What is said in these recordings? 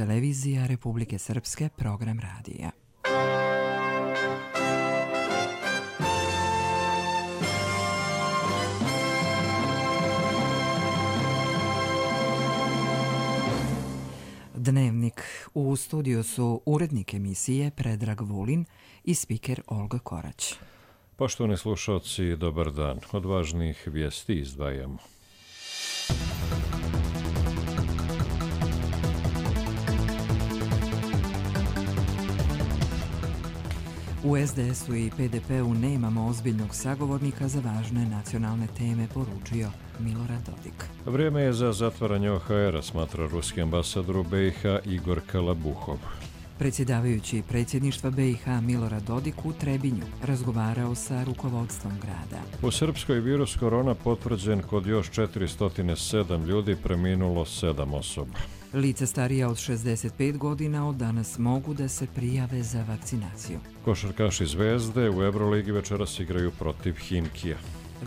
televizija Republike Srpske, program radija. Dnevnik. U studiju su urednik emisije Predrag Vulin i spiker Olga Korać. Poštovani slušalci, dobar dan. Od važnih vijesti izdvajamo. U SDS-u i PDP-u nemamo ozbiljnog sagovornika za važne nacionalne teme, poručio Milorad Dodik. Vrijeme je za zatvaranje OHR-a, smatra ruski ambasador u BiH Igor Kalabuhov. Predsjedavajući predsjedništva BiH Milorad Dodik u Trebinju razgovarao sa rukovodstvom grada. U Srpskoj virus korona potvrđen kod još 407 ljudi, preminulo 7 osoba. Lica starija od 65 godina od danas mogu da se prijave za vakcinaciju. Košarkaši Zvezde u Euroligi večeras igraju protiv Himkija.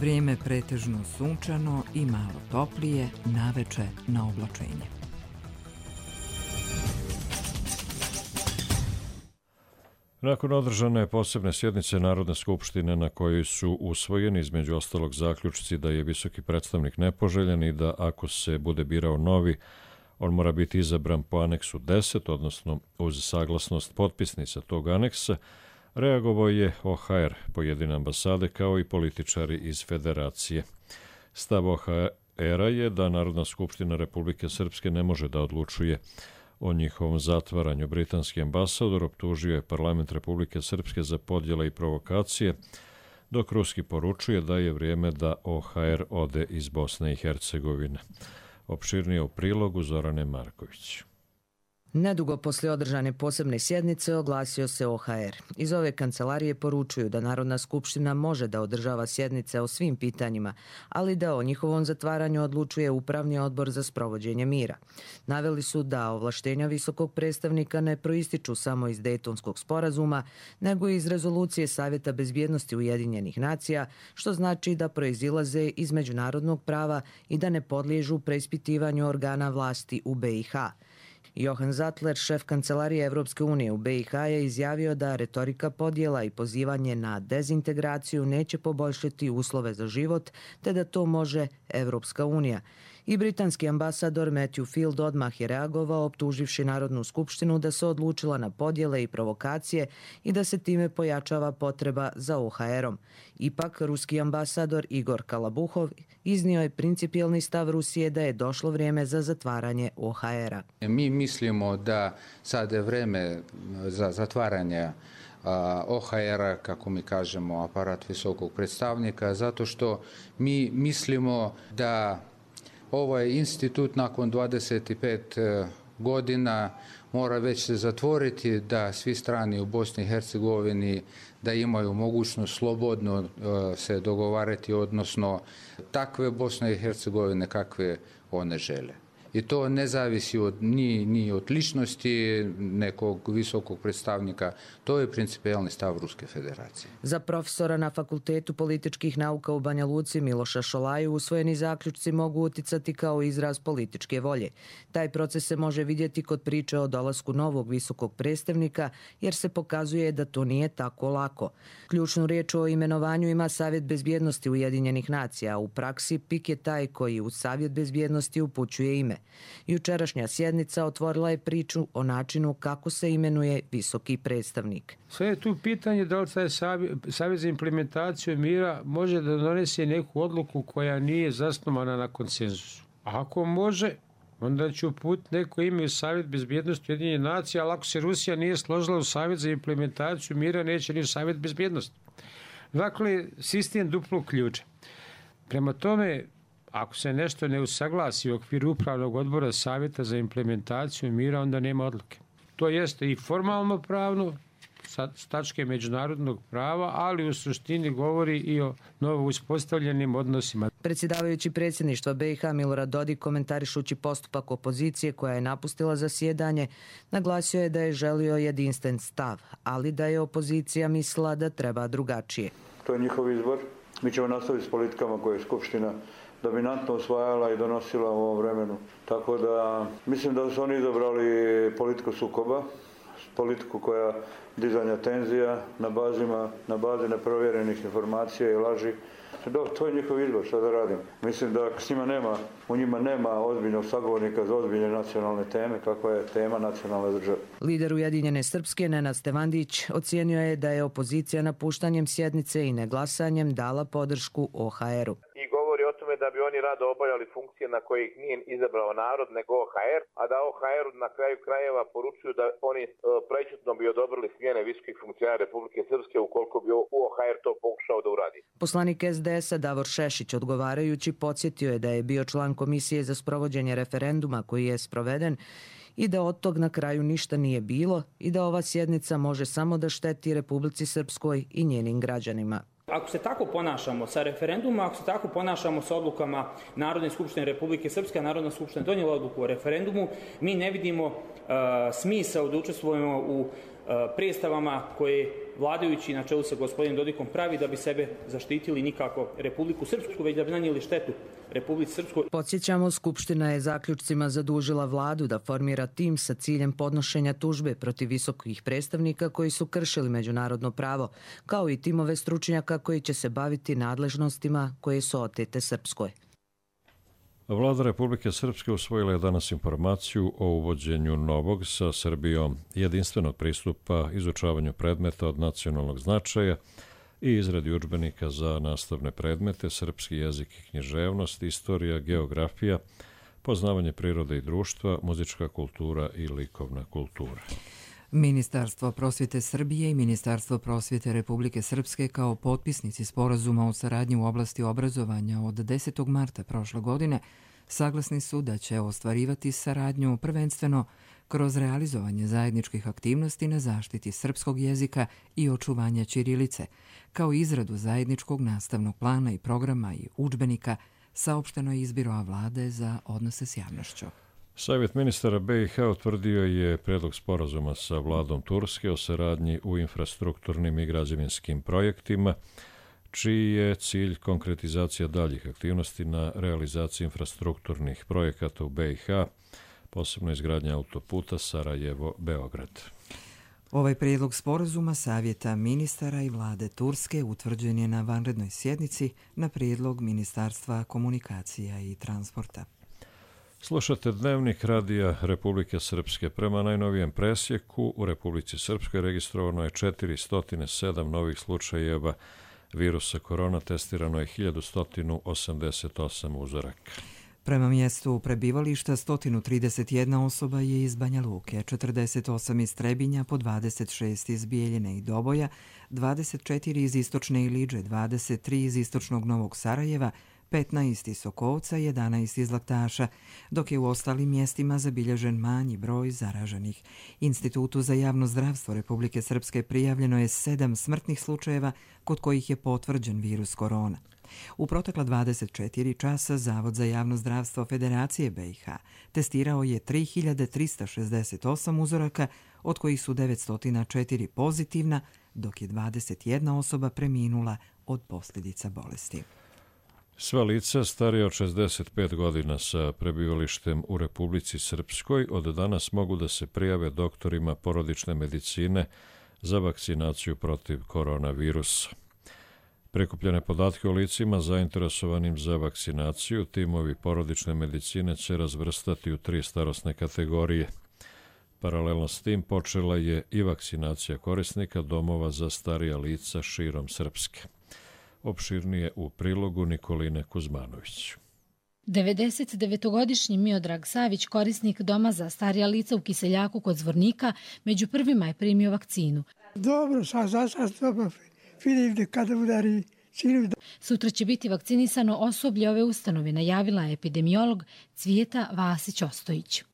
Vrijeme pretežno sunčano i malo toplije, naveče na oblačenje. Nakon održane posebne sjednice Narodne skupštine na kojoj su usvojeni između ostalog zaključci da je visoki predstavnik nepoželjen i da ako se bude birao novi, on mora biti izabran po aneksu 10, odnosno uz saglasnost potpisnica tog aneksa, reagovao je OHR, pojedine ambasade kao i političari iz federacije. Stav OHR-a je da Narodna skupština Republike Srpske ne može da odlučuje o njihovom zatvaranju. Britanski ambasador optužio je parlament Republike Srpske za podjele i provokacije, dok ruski poručuje da je vrijeme da OHR ode iz Bosne i Hercegovine. Opširnije u prilogu Zorane Marković. Nedugo poslije održane posebne sjednice oglasio se OHR. Iz ove kancelarije poručuju da Narodna skupština može da održava sjednice o svim pitanjima, ali da o njihovom zatvaranju odlučuje Upravni odbor za sprovođenje mira. Naveli su da ovlaštenja visokog predstavnika ne proističu samo iz Dejtonskog sporazuma, nego i iz rezolucije Savjeta bezbjednosti Ujedinjenih nacija, što znači da proizilaze iz međunarodnog prava i da ne podliježu preispitivanju organa vlasti u BiH. Johan Zattler, šef kancelarije Evropske unije u BiH, je izjavio da retorika podjela i pozivanje na dezintegraciju neće poboljšati uslove za život, te da to može Evropska unija. I britanski ambasador Matthew Field odmah je reagovao optuživši Narodnu skupštinu da se odlučila na podjele i provokacije i da se time pojačava potreba za OHR-om. Ipak, ruski ambasador Igor Kalabuhov iznio je principijelni stav Rusije da je došlo vrijeme za zatvaranje OHR-a. Mi mislimo da sad je vrijeme za zatvaranje OHR-a, kako mi kažemo, aparat visokog predstavnika, zato što mi mislimo da ovaj institut nakon 25 godina mora već se zatvoriti, da svi strani u Bosni i Hercegovini da imaju mogućnost slobodno se dogovarati, odnosno takve Bosne i Hercegovine kakve one žele. I to ne zavisi ni od ličnosti nekog visokog predstavnika, to je principijelni stav Ruske federacije. Za profesora na Fakultetu političkih nauka u Banja Luci Miloša Šolaju usvojeni zaključci mogu uticati kao izraz političke volje. Taj proces se može vidjeti kod priče o dolasku novog visokog predstavnika, jer se pokazuje da to nije tako lako. Ključnu riječ o imenovanju ima Savjet bezbjednosti Ujedinjenih nacija, a u praksi PIK je taj koji u Savjet bezbjednosti upućuje ime. Jučerašnja sjednica otvorila je priču o načinu kako se imenuje visoki predstavnik. Sve je tu pitanje da li taj Savjet za implementaciju mira može da donese neku odluku koja nije zasnovana na konsenzusu. A ako može, onda će uputiti neko ime u Savjet bezbjednosti Ujedinjenih nacija, ali ako se Rusija nije složila u Savjet za implementaciju mira, neće ni u Savjet bezbjednosti. Dakle, sistem duplog ključa. Prema tome, ako se nešto ne usaglasi u okviru Upravnog odbora Savjeta za implementaciju mira, onda nema odluke. To jeste i formalno pravno, s tačke međunarodnog prava, ali u suštini govori i o novo uspostavljenim odnosima. Predsjedavajući predsjedništva BiH Milorad Dodik, komentarišući postupak opozicije koja je napustila zasjedanje, naglasio je da je želio jedinstven stav, ali da je opozicija mislila da treba drugačije. To je njihov izbor. Mi ćemo nastaviti s politikama koje je Skupština dominantno usvajala i donosila u ovom vremenu. Tako da mislim da su oni izabrali politiku sukoba, politiku koja dizanja tenzija na bazi neprovjerenih informacija i laži. To je njihov izbor, šta da radim. Mislim da u njima nema ozbiljnog sagovornika za ozbiljne nacionalne teme, kakva je tema nacionalne države. Lider Ujedinjene Srpske, Nenad Stevandić, ocijenio je da je opozicija napuštanjem sjednice i neglasanjem dala podršku OHR-u. I govori o tome da bi oni rado obavljali funkcije na koje ih nije izabrao narod, nego OHR, a da OHR na kraju krajeva poručuju da oni prećutno bi odobrili smjene visokih funkcionara Republike Srpske ukoliko bi OHR to pokušao da uradi. Poslanik SDS-a Davor Šešić odgovarajući podsjetio je da je bio član komisije za sprovođenje referenduma koji je sproveden i da od tog na kraju ništa nije bilo i da ova sjednica može samo da šteti Republici Srpskoj i njenim građanima. Ako se tako ponašamo sa referendumom, ako se tako ponašamo sa odlukama Narodne skupštine Republike Srpske, a Narodna skupština donijela odluku o referendumu, mi ne vidimo smisao da učestvujemo u predstavama koje vladajući na čelu sa gospodinom Dodikom pravi da bi sebe zaštitili nikako Republiku Srpsku, već da bi nanijeli štetu Republici Srpskoj. Podsjećamo, Skupština je zaključcima zadužila vladu da formira tim sa ciljem podnošenja tužbe protiv visokih predstavnika koji su kršili međunarodno pravo, kao i timove stručnjaka koji će se baviti nadležnostima koje su otete Srpskoj. Vlada Republike Srpske usvojila je danas informaciju o uvođenju novog sa Srbijom jedinstvenog pristupa izučavanju predmeta od nacionalnog značaja i izradi udžbenika za nastavne predmete, srpski jezik i književnost, istorija, geografija, poznavanje prirode i društva, muzička kultura i likovna kultura. Ministarstvo prosvjete Srbije i Ministarstvo prosvjete Republike Srpske kao potpisnici sporazuma o saradnji u oblasti obrazovanja od 10. marta prošle godine saglasni su da će ostvarivati saradnju prvenstveno kroz realizovanje zajedničkih aktivnosti na zaštiti srpskog jezika i očuvanja ćirilice, kao izradu zajedničkog nastavnog plana i programa i udžbenika, saopšteno je iz Biroa vlade za odnose s javnošću. Savjet ministara BiH utvrdio je predlog sporazuma sa vladom Turske o saradnji u infrastrukturnim i građevinskim projektima, čiji je cilj konkretizacija daljih aktivnosti na realizaciji infrastrukturnih projekata u BiH, posebno izgradnja autoputa Sarajevo-Beograd. Ovaj prijedlog sporazuma Savjeta ministara i vlade Turske utvrđen je na vanrednoj sjednici na prijedlog Ministarstva komunikacija i transporta. Slušate Dnevnik radija Republike Srpske. Prema najnovijem presjeku u Republici Srpskoj registrovano je 407 novih slučajeva virusa korona, testirano je 1188 uzoraka. Prema mjestu prebivališta 131 osoba je iz Banja Luke, 48 iz Trebinja, po 26 iz Bijeljine i Doboja, 24 iz Istočne Iliđe, 23 iz Istočnog Novog Sarajeva, 15 iz Sokovca, 11 iz Laktaša, dok je u ostalim mjestima zabilježen manji broj zaraženih. Institutu za javno zdravstvo Republike Srpske prijavljeno je 7 smrtnih slučajeva kod kojih je potvrđen virus korona. U protekla 24 časa Zavod za javno zdravstvo Federacije BiH testirao je 3368 uzoraka, od kojih su 904 pozitivna, dok je 21 osoba preminula od posljedica bolesti. Sva lica starija od 65 godina sa prebivalištem u Republici Srpskoj od danas mogu da se prijave doktorima porodične medicine za vakcinaciju protiv koronavirusa. Prikupljene podatke o licima zainteresovanim za vakcinaciju timovi porodične medicine će razvrstati u 3 starosne kategorije. Paralelno s tim počela je i vakcinacija korisnika domova za starija lica širom Srpske. Opširnije u prilogu Nikoline Kuzmanović. 99-godišnji Miodrag Savić, korisnik doma za starija lica u Kiseljaku kod Zvornika, među prvima je primio vakcinu. Dobro, sad dobro. Vidim kada udari cilu. Sutra će biti vakcinisano osoblje ove ustanove, najavila je epidemiolog Cvijeta Vasić-Ostojić.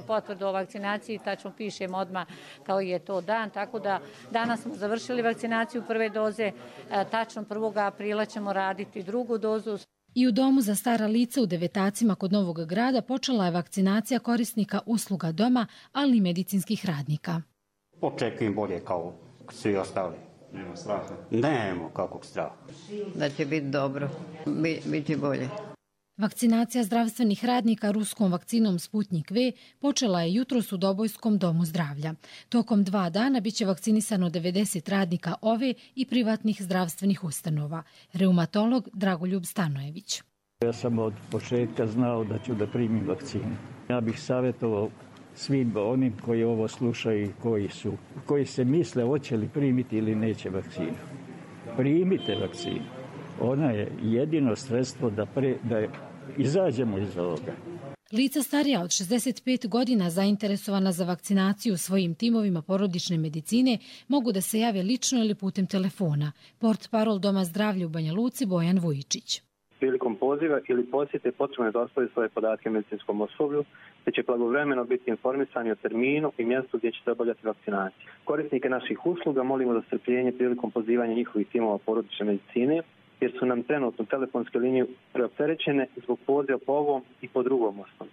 Potvrdu o vakcinaciji, tačno pišemo odmah kao je to dan, tako da danas smo završili vakcinaciju prve doze, tačno 1. aprila ćemo raditi drugu dozu. I u domu za stara lica u Devetacima kod Novog Grada počela je vakcinacija korisnika usluga doma, ali i medicinskih radnika. Očekujem bolje kao svi ostali. Nema straha? Nemo kakvog straha. Da će biti dobro, biti bolje. Vakcinacija zdravstvenih radnika ruskom vakcinom Sputnik V počela je jutros u Dobojskom domu zdravlja. Tokom 2 dana biće vakcinisano 90 radnika ove i privatnih zdravstvenih ustanova. Reumatolog Dragoljub Stanojević. Ja sam od početka znao da ću da primim vakcinu. Ja bih savjetovao svim onim koji ovo slušaju i koji se misle hoće li primiti ili neće vakcinu. Primite vakcinu. Ona je jedino sredstvo da izađemo iz ovoga. Lica starija od 65 godina zainteresovana za vakcinaciju svojim timovima porodične medicine mogu da se jave lično ili putem telefona. Portparol Doma zdravlja u Banja Luci Bojan Vujičić. Prilikom poziva ili posjete potrebno je dostaviti svoje podatke medicinskom osoblju, te će blagovremeno biti informisani o terminu i mjestu gdje ćete obavljati vakcinaciju. Korisnike naših usluga molimo za strpljenje prilikom pozivanja njihovih timova porodične medicine, jer su nam trenutno telefonske linije preopterećene zbog poziva po ovom i po drugom osnovu.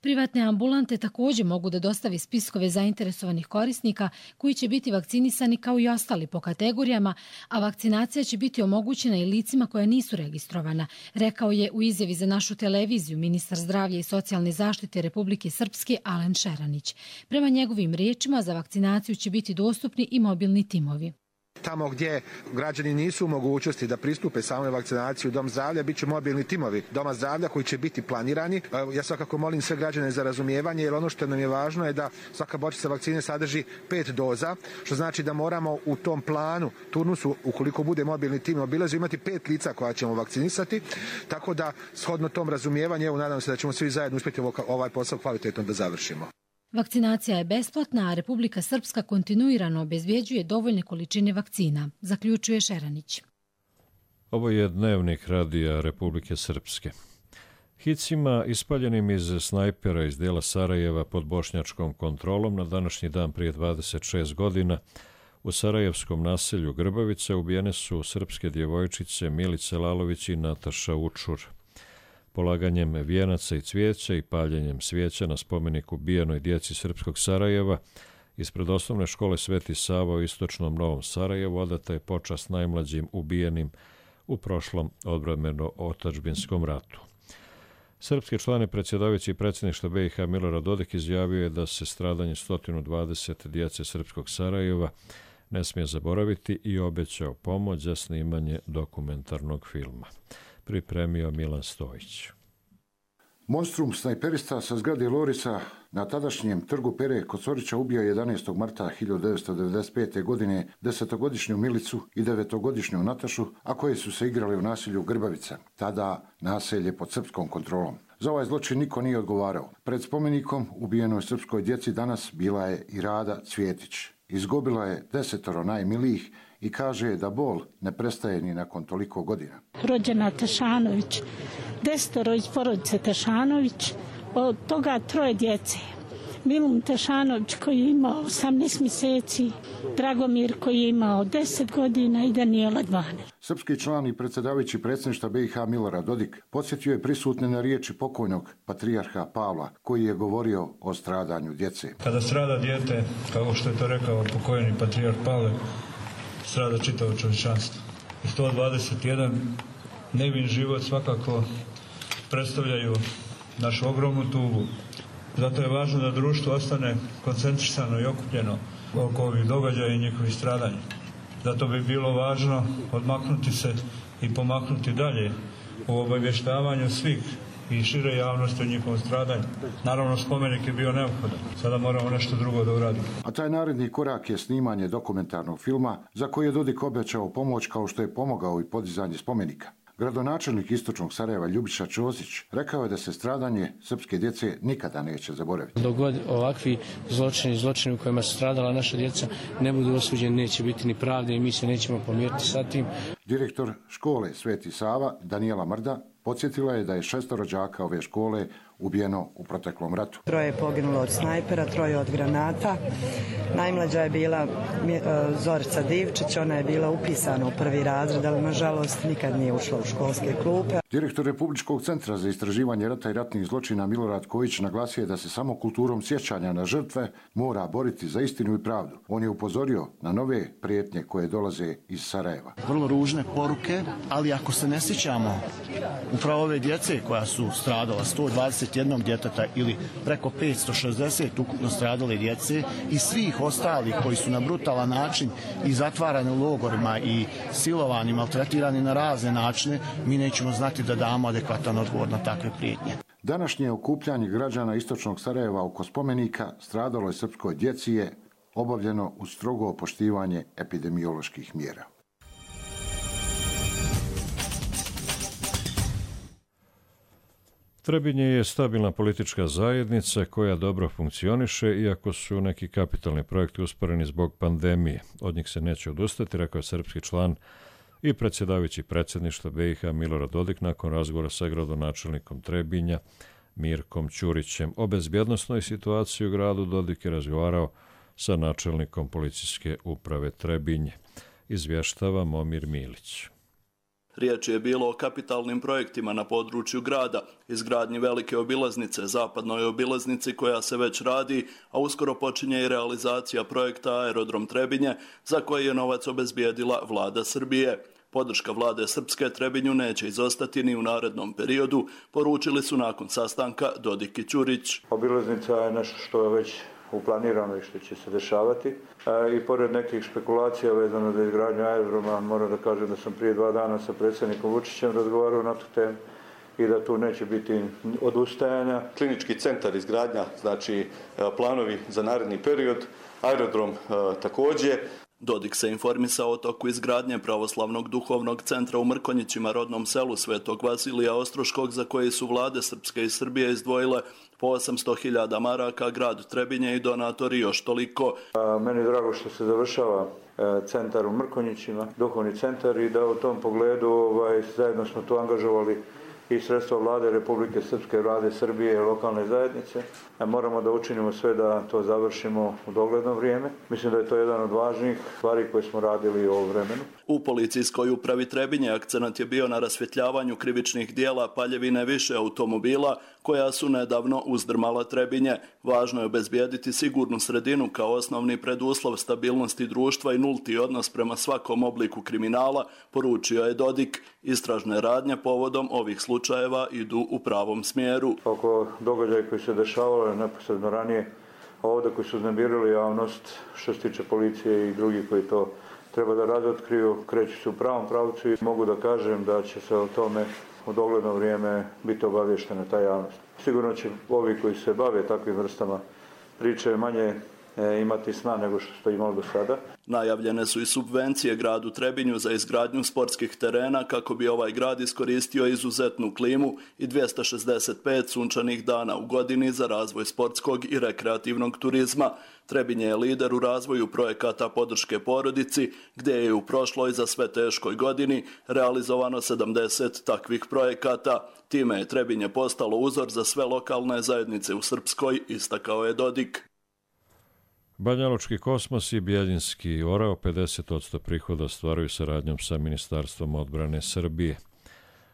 Privatne ambulante također mogu da dostavi spiskove zainteresovanih korisnika koji će biti vakcinisani kao i ostali po kategorijama, a vakcinacija će biti omogućena i licima koja nisu registrovana, rekao je u izjavi za našu televiziju ministar zdravlja i socijalne zaštite Republike Srpske Alen Šeranić. Prema njegovim riječima za vakcinaciju će biti dostupni i mobilni timovi. Tamo gdje građani nisu u mogućnosti da pristupe samoj vakcinaciji u Dom zdravlja, bit će mobilni timovi Doma zdravlja koji će biti planirani. Ja svakako molim sve građane za razumijevanje, jer ono što nam je važno je da svaka bočica vakcine sadrži 5 doza, što znači da moramo u tom planu, turnusu, ukoliko bude mobilni tim obilazi, imati 5 lica koja ćemo vakcinisati, tako da shodno tom razumijevanju, evo nadam se da ćemo svi zajedno uspjeti ovaj posao kvalitetno da završimo. Vakcinacija je besplatna, a Republika Srpska kontinuirano obezbjeđuje dovoljne količine vakcina, zaključuje Šeranić. Ovo je dnevnik radija Republike Srpske. Hicima ispaljenim iz snajpera iz dijela Sarajeva pod bošnjačkom kontrolom na današnji dan prije 26 godina u sarajevskom naselju Grbavica ubijene su srpske djevojčice Milice Lalović i Nataša Učur. Polaganjem vijenaca i cvijeća i paljenjem svijeća na spomenik ubijenoj djeci srpskog Sarajeva ispred osnovne škole Sveti Sava u istočnom Novom Sarajevu odata je počast najmlađim ubijenim u prošlom odbrambeno-otadžbinskom ratu. Srpski član i predsjedavajući predsjedništva BiH Milorad Dodik izjavio je da se stradanje 120 djece srpskog Sarajeva ne smije zaboraviti i obećao pomoć za snimanje dokumentarnog filma. Pripremio Milan Stojić. Monstrum snajperista sa zgrade Lorisa na tadašnjem trgu Pere kod Sorića ubio 11. marta 1995. godine 10-godišnju Milicu i 9-godišnju Natašu, a koje su se igrale u naselju Grbavica, tada naselje pod srpskom kontrolom. Za ovaj zločin niko nije odgovarao. Pred spomenikom ubijenoj srpskoj djeci danas bila je i Rada Cvjetić. Izgubila je 10 najmilijih i kaže da bol ne prestaje ni nakon toliko godina. Rođena Tešanović, 10 iz porodice Tešanović, od toga 3 djece. Milun Tešanović koji je imao 18 mjeseci, Dragomir koji je imao 10 godina i Danijela 12. Srpski član i predsjedavajući predsjedništva BiH Milorad Dodik podsjetio je prisutne na riječi pokojnog patrijarha Pavla koji je govorio o stradanju djece. Kada strada dijete, kao što je to rekao pokojni patrijarh Pavle, strada čitavo čovječanstvo. I 121 nevin život svakako predstavljaju našu ogromnu tugu. Zato je važno da društvo ostane koncentrisano i okupljeno oko ovih događaja i njihovih stradanja. Zato bi bilo važno odmaknuti se i pomaknuti dalje u obavještavanju svih i šire javnosti o njihovom stradanju. Naravno, spomenik je bio neophodan. Sada moramo nešto drugo da uradimo. A taj naredni korak je snimanje dokumentarnog filma za koji je Dodik obećao pomoć kao što je pomogao i podizanje spomenika. Gradonačelnik istočnog Sarajeva Ljubiša Ćosić rekao je da se stradanje srpske djece nikada neće zaboraviti. Dok god ovakvi zločini u kojima su stradala naša djeca ne budu osuđeni, neće biti ni pravde i mi se nećemo pomiriti sa tim. Direktor škole Sveti Sava Danijela Mrda podsjetila je da je 6 đaka ove škole ubijeno u proteklom ratu. 3 je poginulo od snajpera, 3 od granata. Najmlađa je bila Zorica Divčić, ona je bila upisana u 1. razred, ali nažalost nikad nije ušla u školske klupe. Direktor Republičkog centra za istraživanje rata i ratnih zločina Milorad Kojić naglasio je da se samo kulturom sjećanja na žrtve mora boriti za istinu i pravdu. On je upozorio na nove prijetnje koje dolaze iz Sarajeva. Vrlo ružne poruke, ali ako se ne sjećamo upravo ove djece koja su stradala, 121 djeteta ili preko 560 ukupno stradale djece i svih ostalih koji su na brutalan način i zatvarani u logorima i silovani, maltretirani na razne načine, mi nećemo znati da damo adekvatan odgovor na takve prijetnje. Današnje okupljanje građana istočnog Sarajeva oko spomenika stradaloj srpskoj djeci je obavljeno uz strogo poštivanje epidemioloških mjera. Trebinje je stabilna politička zajednica koja dobro funkcioniše, iako su neki kapitalni projekti usporeni zbog pandemije. Od njih se neće odustati, rekao je srpski član i predsjedavajući predsjedništva BiH Milorad Dodik nakon razgovora sa gradonačelnikom Trebinja Mirkom Ćurićem. O bezbjednosnoj situaciji u gradu Dodik je razgovarao sa načelnikom policijske uprave Trebinje. Izvještava Momir Milić. Riječ je bilo o kapitalnim projektima na području grada, izgradnji velike obilaznice, zapadnoj obilaznici koja se već radi, a uskoro počinje i realizacija projekta Aerodrom Trebinje, za koji je novac obezbijedila vlada Srbije. Podrška vlade Srpske Trebinju neće izostati ni u narednom periodu, poručili su nakon sastanka Dodik i Ćurić. Obilaznica je nešto što je već uplanirano i što će se dešavati. I pored nekih špekulacija vezano za izgradnju aerodroma, moram da kažem da sam prije 2 dana sa predsjednikom Vučićem razgovarao na tu temu i da tu neće biti odustajanja. Klinički centar izgradnja, znači planovi za naredni period, aerodrom također. Dodik se informisao o toku izgradnje pravoslavnog duhovnog centra u Mrkonjićima, rodnom selu Svetog Vasilija Ostroškog, za koje su vlade Srpske i Srbije izdvojile po 800.000 maraka, grad Trebinje i donatori još toliko. Meni je drago što se završava centar u Mrkonjićima, duhovni centar, i da u tom pogledu zajedno smo tu angažovali i sredstva vlade Republike Srpske, vlade Srbije i lokalne zajednice. Moramo da učinimo sve da to završimo u dogledno vrijeme. Mislim da je to jedan od važnijih stvari koje smo radili u ovom vremenu. U policijskoj upravi Trebinje akcenat je bio na rasvjetljavanju krivičnih dijela paljevine više automobila koja su nedavno uzdrmala Trebinje. Važno je obezbijediti sigurnu sredinu kao osnovni preduslov stabilnosti društva i nulti odnos prema svakom obliku kriminala, poručio je Dodik. Istražne radnje povodom ovih slučajeva idu u pravom smjeru. Oko događaja koji se dešavalo neposredno ranije, ovdje koji su uznemirili javnost, što se tiče policije i drugih koji to treba da razotkriju, kreću se u pravom pravcu i mogu da kažem da će se o tome u dogledno vrijeme biti obavještena ta javnost. Sigurno će ovi koji se bave takvim vrstama priče manje imati sna nego što ste imali do sada. Najavljene su i subvencije gradu Trebinju za izgradnju sportskih terena kako bi ovaj grad iskoristio izuzetnu klimu i 265 sunčanih dana u godini za razvoj sportskog i rekreativnog turizma. Trebinje je lider u razvoju projekata podrške porodici, gdje je u prošloj za sve teškoj godini realizovano 70 takvih projekata. Time je Trebinje postalo uzor za sve lokalne zajednice u Srpskoj, istakao je Dodik. Banjalučki Kosmos i Bjeljinski Orao 50% prihoda ostvaruju saradnjom sa Ministarstvom odbrane Srbije.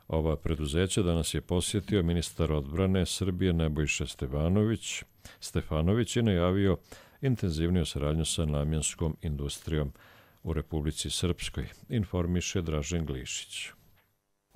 Ova preduzeća danas je posjetio ministar odbrane Srbije Nebojša Stefanović i najavio intenzivniju saradnju sa namjenskom industrijom u Republici Srpskoj, informiše Dražen Glišić.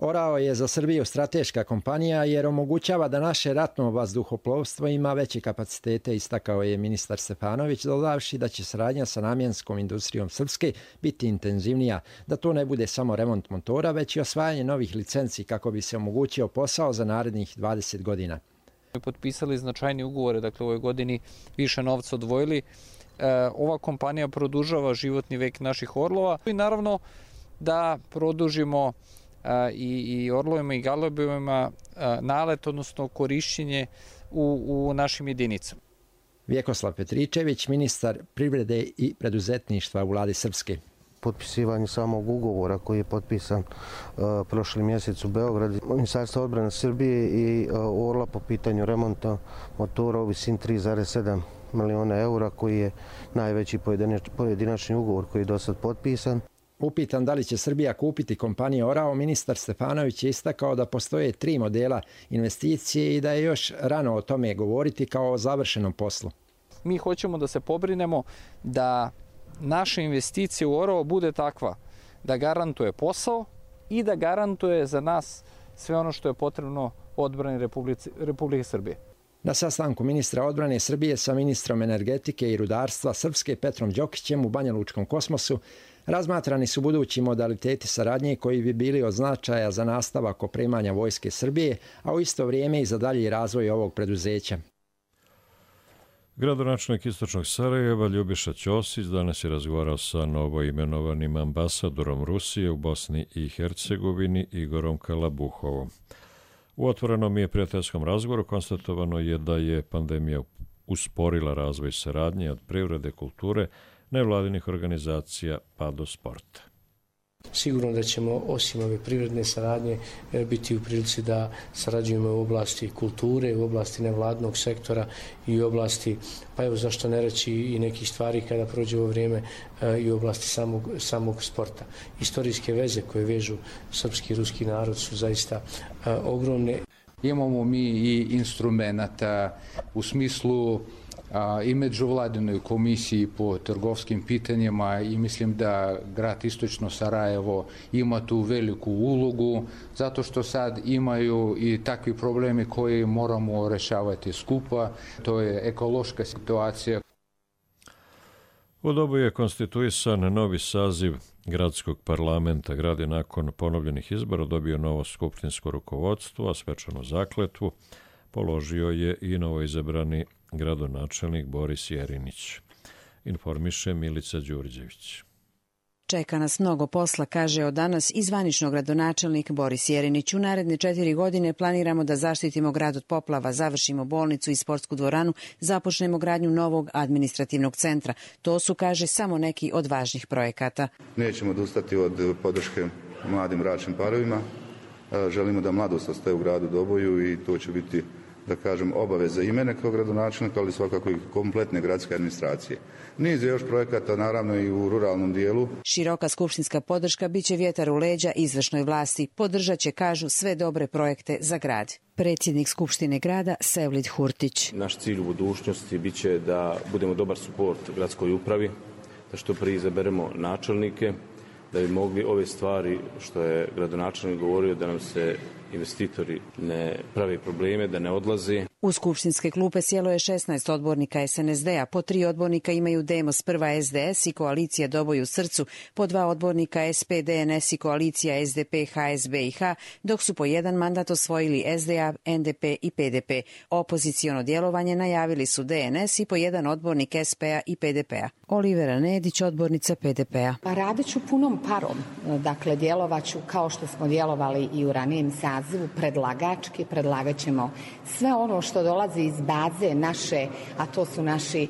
Orao je za Srbiju strateška kompanija jer omogućava da naše ratno vazduhoplovstvo ima veće kapacitete, istakao je ministar Stefanović, dodavši da će saradnja sa namjenskom industrijom Srpske biti intenzivnija, da to ne bude samo remont motora, već i osvajanje novih licenci kako bi se omogućio posao za narednih 20 godina. Potpisali značajni ugovore, dakle u ovoj godini više novca odvojili. Ova kompanija produžava životni vek naših orlova i naravno da produžimo i orlovima i galebovima nalet, odnosno korišćenje u našim jedinicama. Vjekoslav Petričević, ministar privrede i preduzetništva u vladi Srpske. Potpisivanje samog ugovora koji je potpisan prošli mjesec u Beogradu, Ministarstvo odbrane Srbije i Orla po pitanju remonta motora u visini 3,7 miliona eura, koji je najveći pojedinačni ugovor koji je do sad potpisan. Upitan da li će Srbija kupiti kompaniju Orao, ministar Stefanović je istakao da postoje 3 modela investicije i da je još rano o tome govoriti kao o završenom poslu. Mi hoćemo da se pobrinemo da naša investicija u Orao bude takva da garantuje posao i da garantuje za nas sve ono što je potrebno odbrani Republike Srbije. Na sastanku ministra odbrane Srbije sa ministrom energetike i rudarstva Srpske Petrom Đokićem u Banja Lučkom Kosmosu razmatrani su budući modaliteti saradnje koji bi bili od značaja za nastavak opremanja Vojske Srbije, a u isto vrijeme i za dalji razvoj ovog preduzeća. Gradonačelnik Istočnog Sarajeva Ljubiša Ćosić danas je razgovarao sa novoimenovanim ambasadorom Rusije u Bosni i Hercegovini Igorom Kalabuhovom. U otvorenom i prijateljskom razgovoru konstatovano je da je pandemija usporila razvoj saradnje od privrede, kulture, nevladinih organizacija pa do sporta. Sigurno da ćemo osim ove privredne saradnje biti u prilici da sarađujemo u oblasti kulture, u oblasti nevladnog sektora i u oblasti, pa evo zašto ne reći i nekih stvari kada prođe ovo vrijeme i u oblasti samog sporta. Istorijske veze koje vežu srpski i ruski narod su zaista ogromne. Imamo mi i instrumenta u smislu i međuvladinoj komisiji po trgovskim pitanjima i mislim da grad Istočno Sarajevo ima tu veliku ulogu zato što sad imaju i takvi problemi koje moramo rešavati skupa. To je ekološka situacija. U dobu je konstituisan novi saziv gradskog parlamenta. Grad je nakon ponovljenih izbora dobio novo skupštinsko rukovodstvo, a svečanu zakletvu položio je i novoizabrani gradonačelnik Boris Jerinić. Informiše Milica Đurđević. Čeka nas mnogo posla, kaže od danas i zvanično gradonačelnik Boris Jerinić. U naredne 4 godine planiramo da zaštitimo grad od poplava, završimo bolnicu i sportsku dvoranu, započnemo gradnju novog administrativnog centra. To su, kaže, samo neki od važnih projekata. Nećemo odustati od podrške mladim bračnim parovima. Želimo da mladost ostaje u gradu Doboju i to će biti, da kažem, obaveza i mene kao gradonačelnika, ali svakako i kompletne gradske administracije. Niz je još projekata, naravno i u ruralnom dijelu. Široka skupštinska podrška biće vjetar u leđa izvršnoj vlasti. Podržat će, kažu, sve dobre projekte za grad. Predsjednik Skupštine grada Sevlid Hurtić. Naš cilj u budućnosti biće da budemo dobar suport gradskoj upravi, da što prije izaberemo načelnike, da bi mogli ove stvari što je gradonačelnik govorio, da nam se investitori ne pravi probleme, da ne odlaze. U skupštinske klupe sjelo je 16 odbornika SNSD-a, po 3 odbornika imaju Demos Prva SDS i koalicija Doboj u srcu, po 2 odbornika SPD-NS i koalicija SDP, HSB i H, dok su po 1 mandat osvojili SDA, NDP i PDP. Opoziciono djelovanje najavili su DNS i po 1 odbornik SP-a i PDP-a. Olivera Nedić, odbornica PDP-a. Radit ću punom parom, dakle djelovaću kao što smo djelovali i u ranijem sazivu, predlagački, predlagat ćemo sve ono što dolazi iz baze naše, a to su naši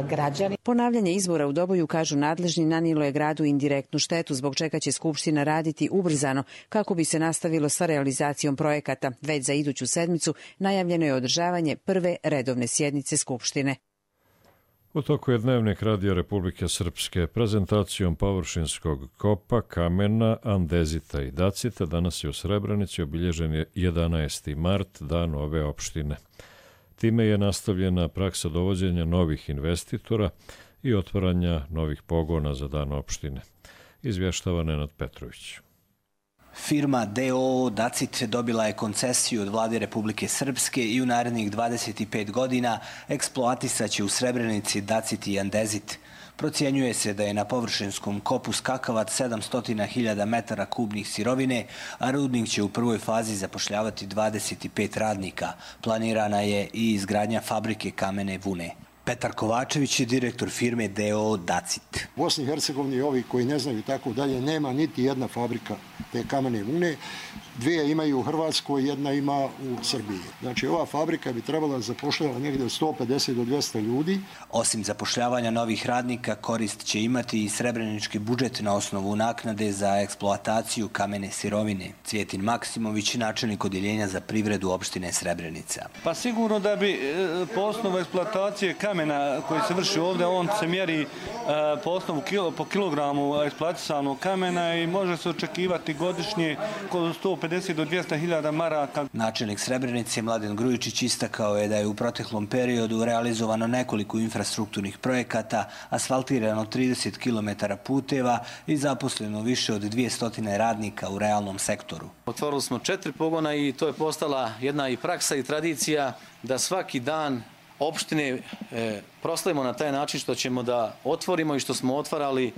građani. Ponavljanje izbora u Doboju, kažu nadležni, nanijelo je gradu indirektnu štetu, zbog čega će Skupština raditi ubrzano kako bi se nastavilo sa realizacijom projekata. Već za iduću sedmicu najavljeno je održavanje prve redovne sjednice Skupštine. U toku je Dnevnik Radija Republike Srpske prezentacijom površinskog kopa, kamena, andezita i dacita. Danas je u Srebrenici obilježen je 11. mart, dan ove opštine. Time je nastavljena praksa dovođenja novih investitora i otvaranja novih pogona za dan opštine. Izvještava Nenad Petrović. Firma DOO Dacit dobila je koncesiju od vlade Republike Srpske i u narednih 25 godina eksploatisat će u Srebrenici Dacit i andezit. Procjenjuje se da je na površinskom kopu skakavac 700.000 metara kubnih sirovine, a rudnik će u prvoj fazi zapošljavati 25 radnika. Planirana je i izgradnja fabrike kamene vune. Petar Kovačević je direktor firme DOO Dacit. U Bosni i Hercegovini, ovi koji ne znaju tako dalje, nema niti jedna fabrika te kamene vune. 2 imaju u Hrvatskoj, 1 ima u Srbiji. Znači, ova fabrika bi trebala zapošljavati negdje od 150 do 200 ljudi. Osim zapošljavanja novih radnika, korist će imati i srebrenički budžet na osnovu naknade za eksploataciju kamene sirovine. Cvjetin Maksimović, načelnik odjeljenja za privredu opštine Srebrenica. Pa sigurno da bi po osnovu eksploatacije kamene kamena koji se vrši ovdje, on se mjeri po osnovu po kilogramu eksploatisanog kamena i može se očekivati godišnje kod 150 do 200 hiljada maraka. Načelnik Srebrenice Mladen Grujičić istakao je da je u proteklom periodu realizovano nekoliko infrastrukturnih projekata, asfaltirano 30 km puteva i zaposleno više od 200 radnika u realnom sektoru. Otvorili smo 4 pogona i to je postala jedna i praksa i tradicija da svaki dan opštine proslavimo na taj način što ćemo da otvorimo i što smo otvarali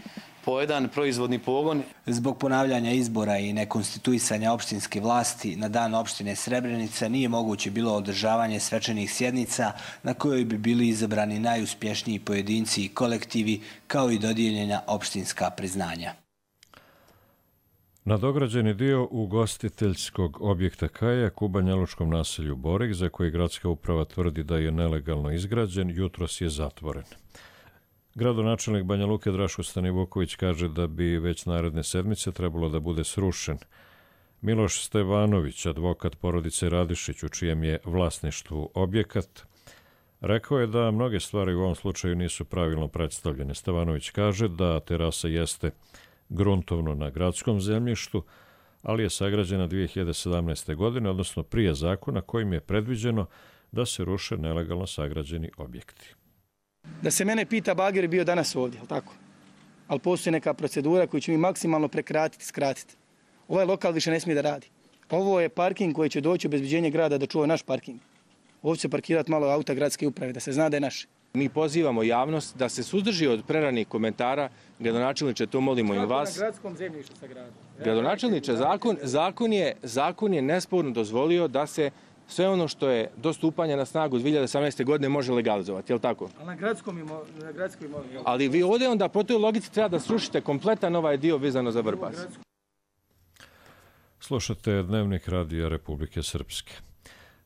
po jedan proizvodni pogon. Zbog ponavljanja izbora i nekonstituisanja opštinske vlasti na dan opštine Srebrenica nije moguće bilo održavanje svečanih sjednica na kojoj bi bili izabrani najuspješniji pojedinci i kolektivi kao i dodijeljena opštinska priznanja. Nadograđeni dio ugostiteljskog objekta Kajak u banjalučkom naselju Borik, za koji gradska uprava tvrdi da je nelegalno izgrađen, jutros je zatvoren. Gradonačelnik Banja Luke Draško Stanivuković kaže da bi već naredne sedmice trebalo da bude srušen. Miloš Stevanović, advokat porodice Radišić, u čijem je vlasništvu objekat, rekao je da mnoge stvari u ovom slučaju nisu pravilno predstavljene. Stevanović kaže da terasa jeste gruntovno na gradskom zemljištu, ali je sagrađena 2017. godine, odnosno prije zakona kojim je predviđeno da se ruše nelegalno sagrađeni objekti. Da se mene pita, bager je bio danas ovdje, ali tako? Ali postoji neka procedura koju ćemo mi maksimalno prekratiti, skratiti. Ovaj lokal više ne smije da radi. Ovo je parking koji će doći u obezbeđenje grada da čuva naš parking. Ovdje će parkirati malo auta gradske uprave, da se zna da je naš. Mi pozivamo javnost da se suzdrži od preranih komentara. Gradonačelniče, to molimo i vas. Na gradskom zemljištu sa gradom. Gradonačelniče, zakon je nesporno dozvolio da se sve ono što je do stupanja na snagu 2018. godine može legalizovati, je li tako? Ali na gradskoj imovini. Ali vi ovdje onda po toj logici treba da srušite kompletan ovaj dio vezano za Vrbas. Slušate Dnevnik Radija Republike Srpske.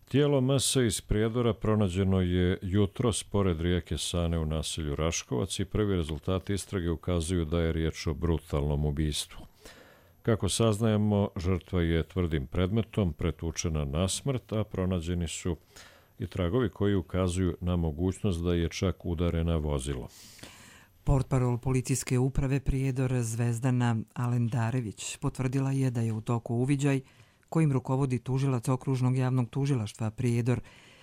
Tijelo MS iz Prijedora pronađeno je jutros pored rijeke Sane u naselju Raškovac i prvi rezultati istrage ukazuju da je riječ o brutalnom ubistvu. Kako saznajemo, žrtva je tvrdim predmetom pretučena na smrt, a pronađeni su i tragovi koji ukazuju na mogućnost da je čak udarena vozilo. Portparol policijske uprave Prijedor Zvezdana Alendarević potvrdila je da je u toku uviđaj kojim rukovodi tužilac okružnog javnog tužilaštva Prijedor.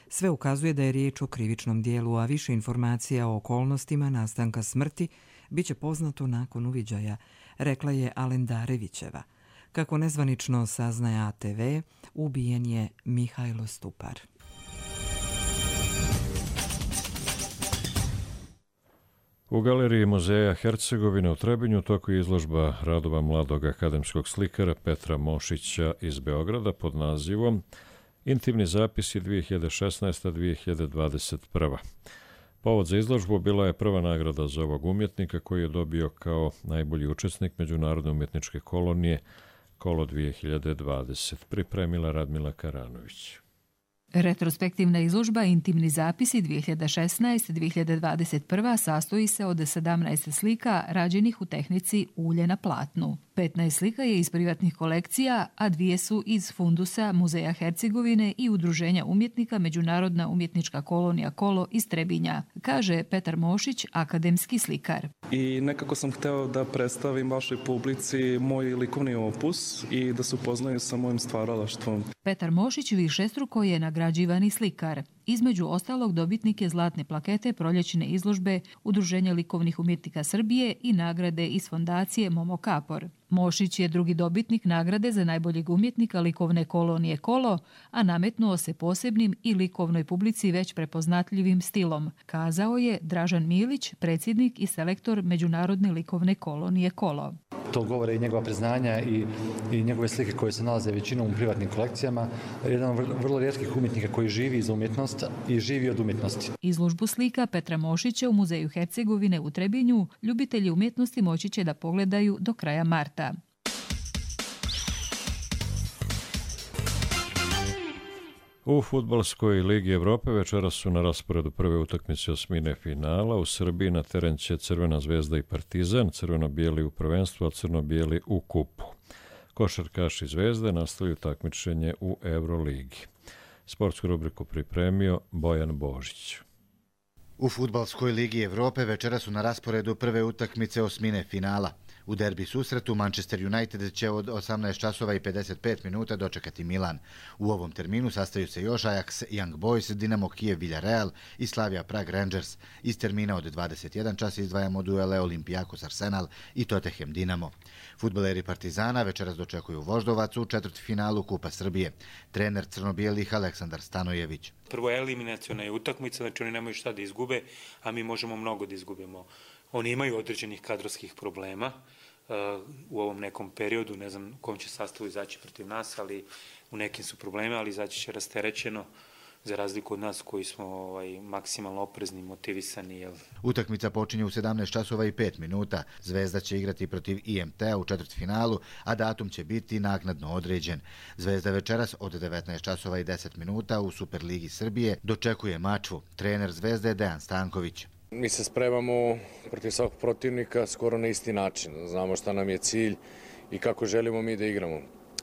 Sve ukazuje da je riječ o krivičnom dijelu, a više informacija o okolnostima nastanka smrti biće poznato nakon uviđaja, rekla je Alendarevićeva. Kako nezvanično saznaje ATV, ubijen je Mihajlo Stupar. U galeriji Muzeja Hercegovine u Trebinju toku je izložba radova mladog akademskog slikara Petra Mošića iz Beograda pod nazivom Intimni zapisi 2016-2021. Povod za izložbu bila je prva nagrada za ovog umjetnika koji je dobio kao najbolji učesnik Međunarodne umjetničke kolonije Kolo 2020. Pripremila Radmila Karanović. Retrospektivna izložba Intimni zapisi 2016-2021 sastoji se od 17 slika rađenih u tehnici ulje na platnu. 15 slika je iz privatnih kolekcija, a 2 su iz fundusa Muzeja Hercegovine i Udruženja umjetnika Međunarodna umjetnička kolonija Kolo iz Trebinja, kaže Petar Mošić, akademski slikar. I nekako sam hteo da predstavim vašoj publici moj likovni opus i da se upoznaju sa mojim stvaralaštvom. Petar Mošić višestruko je nagrađivani slikar. Između ostalog dobitnik je zlatne plakete proljećne izložbe Udruženja likovnih umjetnika Srbije i nagrade iz fondacije Momo Kapor. Mošić je drugi dobitnik nagrade za najboljeg umjetnika likovne kolonije Kolo, a nametnuo se posebnim i likovnoj publici već prepoznatljivim stilom, kazao je Dražan Milić, predsjednik i selektor Međunarodne likovne kolonije Kolo. To govore i njegova priznanja i njegove slike koje se nalaze većinom u privatnim kolekcijama. Jedan od vrlo rijetkih umjetnika koji živi za umjetnost i živi od umjetnosti. Izložbu slika Petra Mošića u Muzeju Hercegovine u Trebinju ljubitelji umjetnosti moći će da pogledaju do kraja marta. U Fudbalskoj ligi Evrope večeras su na rasporedu prve utakmice osmine finala. U Srbiji na teren će Crvena zvezda i Partizan, crveno-bijeli u prvenstvu, a crno-bijeli u kupu. Košarkaši Zvezde nastavljaju takmičenje u Euroligi. Sportsku rubriku pripremio Bojan Božić. U Fudbalskoj ligi Evrope večera su na rasporedu prve utakmice osmine finala. U derbi susretu Manchester United će od 18 časova i 55 minuta dočekati Milan. U ovom terminu sastaju se još Ajax, Young Boys, Dinamo Kijev, Villarreal i Slavia Prag Rangers. Iz termina od 21 čas izdvajamo duele Olympiakos Arsenal i Tottenham Dinamo. Fudbaleri Partizana večeras dočekuju Voždovac u četvrtfinalu Kupa Srbije. Trener crno-bijelih Aleksandar Stanojević. Prvo eliminaciona je utakmica, znači oni nemaju šta da izgube, a mi možemo mnogo da izgubimo. Oni imaju određenih kadrovskih problema u ovom nekom periodu, ne znam kom će sastavu izaći protiv nas, ali u nekim su problema, ali izaći će rasterećeno, za razliku od nas koji smo maksimalno oprezni, motivisani. Utakmica počinje u 17 časova i 5 minuta. Zvezda će igrati protiv IMT-a u četvrtfinalu, a datum će biti naknadno određen. Zvezda večeras od 19 časova i 10 minuta u Superligi Srbije dočekuje Mačvu. Trener Zvezde je Dejan Stanković. Mi se spremamo protiv svakog protivnika skoro na isti način. Znamo šta nam je cilj i kako želimo mi da igramo.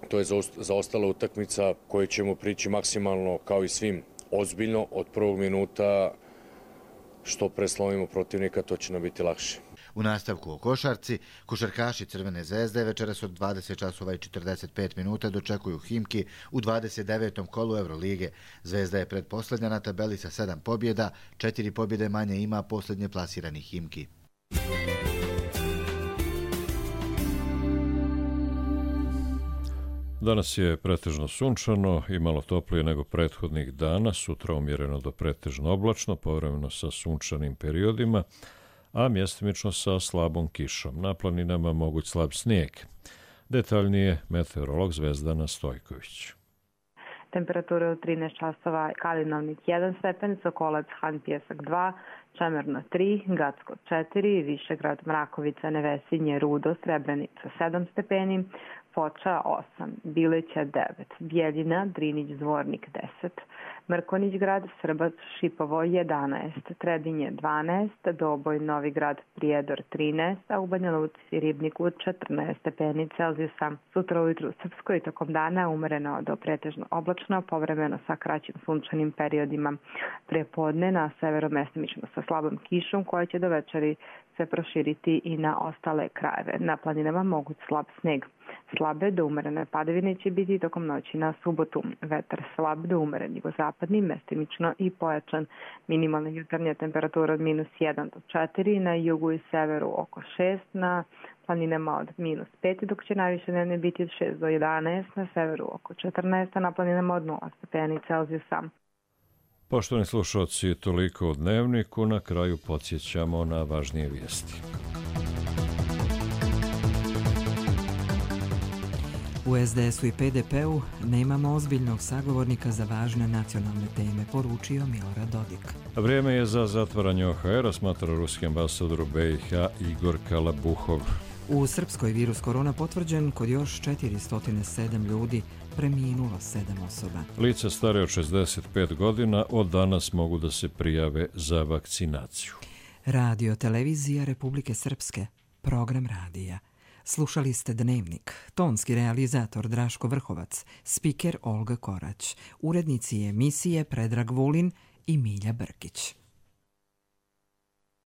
To je zaostala utakmica koju ćemo prići maksimalno, kao i svim, ozbiljno od prvog minuta. Što preslovimo protivnika, to će nam biti lakše. U nastavku o košarci, košarkaši Crvene zvezde večeras od 20 časova i 45 minuta dočekuju Himki u 29. kolu Evrolige. Zvezda je pretposlednja na tabeli sa 7 pobjeda, 4 pobjede manje ima posljednje plasirani Himki. Danas je pretežno sunčano i malo toplije nego prethodnih dana, sutra umjereno do pretežno oblačno, povremeno sa sunčanim periodima, a mjestimično sa slabom kišom. Na planinama moguć slab snijeg. Detaljnije meteorolog Zvezdana Stojković. Temperature u 13 časova, Kalinovnik 1 stepen, Sokolac, Han Pjesak 2, Čemerno 3, Gacko 4, Višegrad, Mrakovica, Nevesinje, Rudo, Srebrenica 7 stepeni, Foča 8, Bileća 9, Bijeljina, Drinić, Zvornik 10, Mrkonić grad, Srbac, Šipovo 11, Trebinje 12, Doboj, Novigrad, Prijedor 13, a u Banja Luci i Ribniku 14 stepeni Celzijusa. Sutra ujutru u Srpskoj tokom dana umereno do pretežno oblačno, povremeno sa kraćim sunčanim periodima. Prepodne na severu mestimično sa slabom kišom koja će do večeri se proširiti i na ostale krajeve. Na planinama moguć slab sneg. Slabe do umerene padavine će biti tokom noći na subotu. Vetar slab do umeren jugozapadni, mestimično i pojačan. Minimalna jutarnja temperatura od -1 do 4, na jugu i severu oko 6, na planinama od -5, dok će najviše dnevne biti od 6 do 11, na severu oko 14, a na planinama od 0 stepeni Celzijusa. Poštovani slušalci, toliko o Dnevniku. Na kraju podsjećamo na važnije vijesti. U SDS-u i PDP-u nemamo ozbiljnog sagovornika za važne nacionalne teme, poručio Milorad Dodik. Vrijeme je za zatvaranje OHR-a, smatra ruski ambasador u BiH Igor Kalabuhov. U Srpskoj virus korona potvrđen kod još 407 ljudi, preminulo 7 osoba. Lica stare od 65 godina od danas mogu da se prijave za vakcinaciju. Radio televizija Republike Srpske, program radija. Slušali ste Dnevnik, tonski realizator Draško Vrhovac, spiker Olga Korać, urednici emisije Predrag Vulin i Milja Brkić.